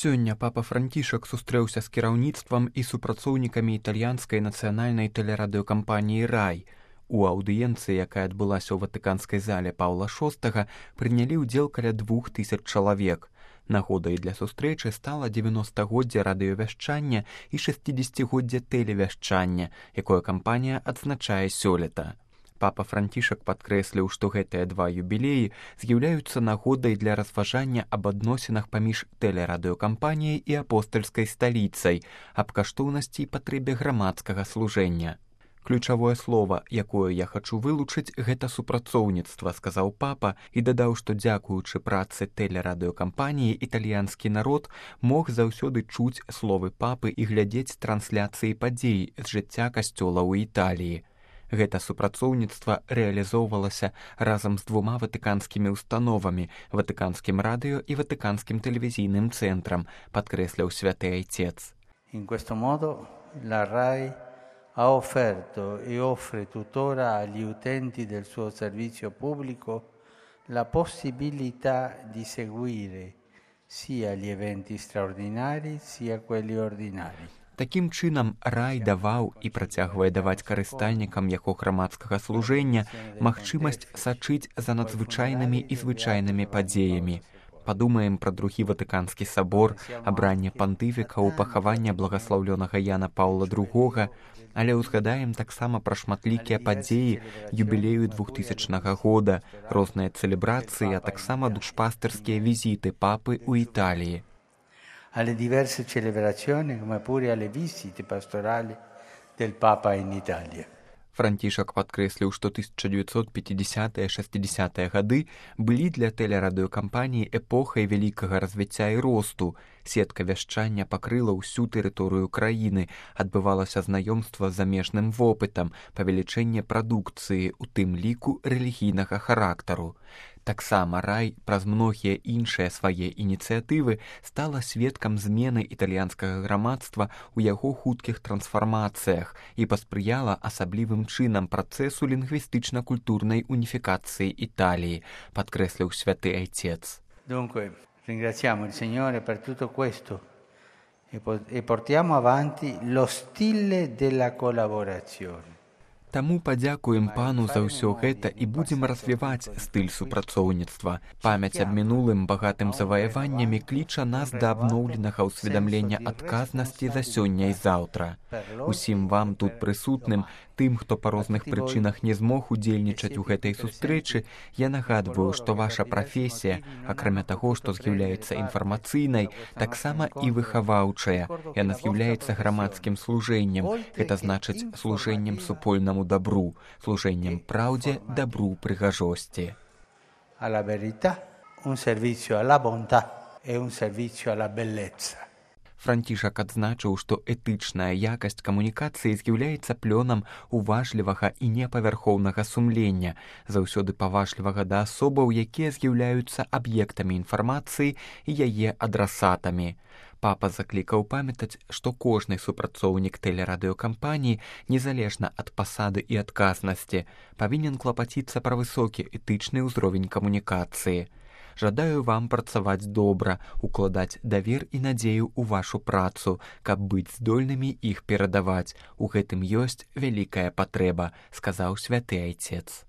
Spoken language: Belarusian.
Сёння папа Францішак сустрэўся з кіраўніцтвам і супрацоўнікамі італьянскай нацыянальнай тэлерадыёкампаніі «Рай». У аўдыенцыі, якая адбылася ў ватыканскай зале Паўла VI, прынялі ўдзел каля 2000 чалавек. Нагодай для сустрэчы стала 90-годдзе радыёвяшчання і 60-годдзе тэлевяшчання, якое кампанія адзначае сёлета. Папа Францішак падкрэсліў, што гэтыя два юбілеі з'яўляюцца нагодай для разважання аб адносінах паміж тэлерадыёкампаніяй і апостальскай сталіцай, аб каштоўнасці і патрэбе грамадскага служэння. Ключавое слова, якое я хачу вылучыць, гэта супрацоўніцтва, сказаў папа і дадаў, што дзякуючы працы тэлерадыёкампаніі італьянскі народ мог заўсёды чуць словы папы і глядзець трансляцыі падзей з жыцця касцёла ў Італіі. Гэта супрацоўніцтва рэалізоўвалася разам з двума ватыканскімі установамі, ватыканскім радыё і ватыканскім тэлевізійным цэнтрам, падкрэсліў святы айцец. In questo modo la RAI ha offerto e offre tuttora agli utenti del suo servizio pubblico la possibilità di seguire sia gli eventi straordinari sia quelli ordinari. Такім чынам, рай даваў і працягвае даваць карыстальнікам яго грамадскага служэння магчымасць сачыць за надзвычайнымі і звычайнымі падзеямі. Падумаем пра другі ватыканскі сабор, абранне пантыфікаў, пахаванне благаслаўлёнага Яна Паўла II, але ўзгадаем таксама пра шматлікія падзеі юбілею 2000 года, розныя цэлебрацыі, а таксама душпастэрскія візіты папы ў Італіі. Alle diverse celebrazioni come pure alle visite pastorali del Papa in Italia. Францішак падкрэсліў, што 1950-60-е гады былі для тэлерадыёкампаніі эпохай вялікага развіцця і росту. Сетка вяшчання пакрыла ўсю тэрыторыю краіны, адбывалася знаёмства з замежным вопытам, павелічэнне прадукцыі, у тым ліку рэлігійнага характару. Таксама рай праз многія іншыя свае ініцыятывы стала сведкам змены італьянскага грамадства ў яго хуткіх трансфармацыях і паспрыяла асаблівым чынам працэсу лінгвістычна-культурнай уніфікацыі Італіі, падкрэсліў святы айцец. Dunque, ringraziamo il Signore per tutto questo e portiamo avanti lo stile della collaborazione. Таму падзякуем пану за ўсё гэта і будзем развіваць стыль супрацоўніцтва. Памяць аб мінулым багатым заваяваннямі кліча нас да абноўленага ўсведамлення адказнасці за сёння і заўтра. Усім вам тут прысутным, тым, хто па розных прычынах не змог удзельнічаць у гэтай сустрэчы, я нагадваю, што ваша прафесія, акрамя таго, што з'яўляецца інфармацыйнай, таксама і выхаваўчая. Яна з'яўляецца грамадскім служэннем, гэта значыць служэннем супольнаму добру, служэннем праўдзе, добру, прыгажосці. Alla verità, un servizio alla bontà e un servizio alla bellezza. Францішак адзначыў, што этычная якасць камунікацыі з'яўляецца плёнам уважлівага і непавярхоўнага сумлення, заўсёды паважлівага да асобаў, якія з'яўляюцца аб'ектамі інфармацыі і яе адрасатамі. Папа заклікаў памятаць, што кожны супрацоўнік тэлерадыёкампаніі, незалежна ад пасады і адказнасці, павінен клапаціцца пра высокі этычны ўзровень камунікацыі. Жадаю вам працаваць добра, укладаць давер і надзею ў вашу працу, каб быць здольнымі іх перадаваць. У гэтым ёсць вялікая патрэба, сказаў святы айцец.